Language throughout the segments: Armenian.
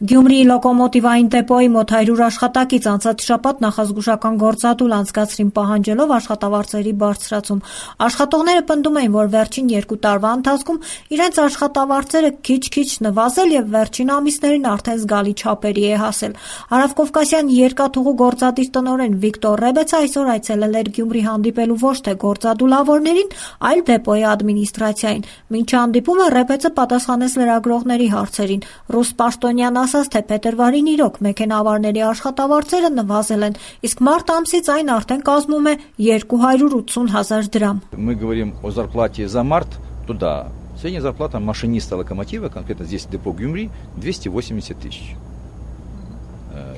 Գյումրիի լոկոմոտիվային դեպոյի մոտ 100 աշխատակից անցած շաբաթ նախազգուշական գործադուլ անցկացրին պահանջելով աշխատավարձերի բարձրացում։ Աշխատողները պնդում էին, որ վերջին 2 տարվա ընթացքում իրենց աշխատավարձերը քիչ-քիչ նվազել եւ վերջին ամիսներին արդեն զգալի չափերի է հասել։ Հարավկովկասյան երկաթուղու գործադիր տնօրեն Վիկտոր Ռեբեցը այսօր այցելել էր Գյումրի հանդիպելու ոչ թե գործադուլավորներին, այլ դեպոյի ադմինիստրացիային։ Մինչ հանդիպումը Ռեբեցը պատասխանեց լրագրողների հարցերին։ Ռուս Պաշտոնյան ասաց, թե փետրվարին իրոք մեքենավարների աշխատավարձերը նվազել են, իսկ մարտ ամսից այն արդեն կազմում է 280,000 դրամ։ Мы говорим о зарплате за март, то да, средняя зарплата машиниста локомотива, конкретно здесь депо Гюмри, 280 тысяч.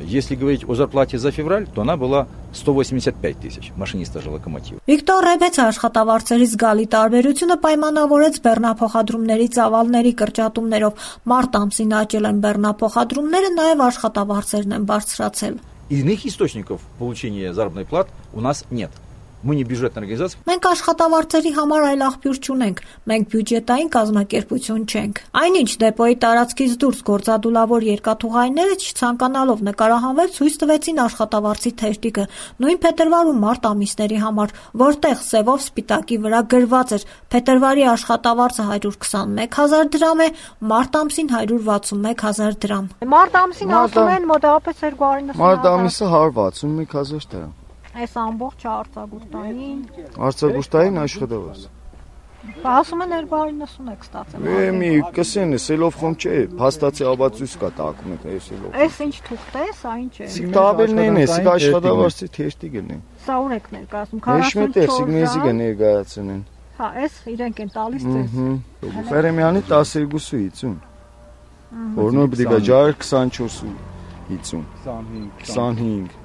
Если говорить о зарплате за февраль, то она была 185 тысяч, машиниста же локомотива. Վիկտոր Ռեբեցը աշխատավարձերի զգալի տարբերությունը պայմանավորեց բեռնափոխադրումների ծավալների կրճատումներով։ Մարտ ամսին աճել են բեռնափոխադրումները, նաև աշխատավարձերն են բարձրացել։ Иных источников получения заработной платы у нас нет. Мы не бюджетная организация. Մենք աշխատավարձերի համար այլ աղբյուր չունենք, մենք բյուջետային կազմակերպություն չենք։ Այնինչ դեպոյի տարածքից դուրս գործադուլավոր երկաթուղայինները չցանկանալով նկարահանվել ցույց տվեցին աշխատավարձի թերթիկը, նույն փետրվար ու մարտ ամիսների համար, որտեղ սևով սպիտակի վրա գրված էր փետրվարի աշխատավարձը 121,000 դրամ է, մարտ ամսին 161,000 դրամ։ Մարտ ամսին ասում են մոտավորապես 290,000։ Մարտ ամիսը 161,000 դրամ։ Այս ամբողջ արձագուրտային Արձագուրտային աշխատավարձ։ ասում են 290 եք ստացել։ Մի կսեն է, սելով խոմ չէ, փաստացի ապացույց կա տակում է սելով։ Այս ինչ թուղթ է, սա ինչ է։ Սիկտաբելն է, սիկ աշխատավարձի թերթիկն է։ Սա ուր եք ներկայացնում։ Մեջմետեր սիգնեզիկը ներկայացնեն։ Հա, այս իրենք են տալիս ձեզ։ Ֆերեմյանի 12.50։ Որնով պետք է ջար 24.50։ 25։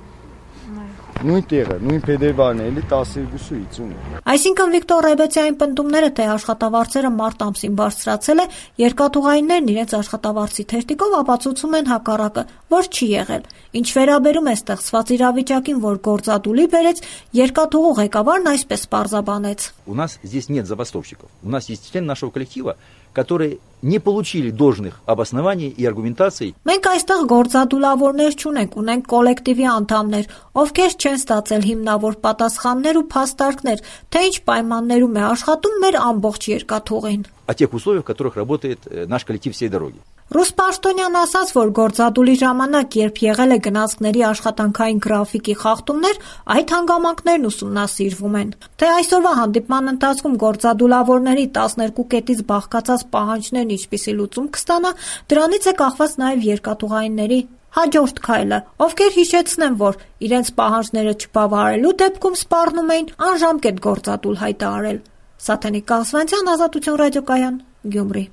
Նույն տեղը, նույն փետրվարն է, էլի 12.50։ Այսինքն Վիկտոր Ռեբեցյանի պնդումները, թե աշխատավարձերը մարտ ամսին բարձրացել է, երկաթուղայիններն իրենց աշխատավարձի թերթիկով ապացուցում են հակառակը, որ չի եղել։ Ինչ վերաբերում է ստեղծված իրավիճակին, որ գործադուլի բերեց, երկաթուղու ղեկավարն այսպես պարզաբանեց։ У нас здесь нет забастовщиков. У нас есть члены нашего коллектива, которые не получили должных обоснований и аргументаций. Մենք այստեղ գործադուլավորներ չունենք, унենք կոլեկտիվի անդամներ, ովքեր չեն ստացել հիմնավոր պատասխաններ ու փաստարկներ, թե ինչ պայմաններում է աշխատում մեր ամբողջ երկաթուղին։ О тех условиях, в которых работает наш коллектив всей дороги. Ռուս Պաշտոնյան ասաց, որ գործադուլի ժամանակ, երբ եղել է գնացքների աշխատանքային գրաֆիկի խախտումներ, այդ հանգամանքներն ուսումնասիրվում են։ Թե այսօրվա հանդիպման ընթացքում գործադուլավորների 12 կետից բաղկացած պահանջներն ինչպիսի լուծում կստանա, դրանից է կախված նաև երկաթուղայինների հաջորդ քայլը, ովքեր հիշեցնեն, որ իրենց պահանջները չբավարարելու դեպքում սպառնում էին անժամկետ գործադուլ հայտարարել։ Սաթենիկ Կալսվանցյան, Ազատություն ռադիոկայան, Գյումրի։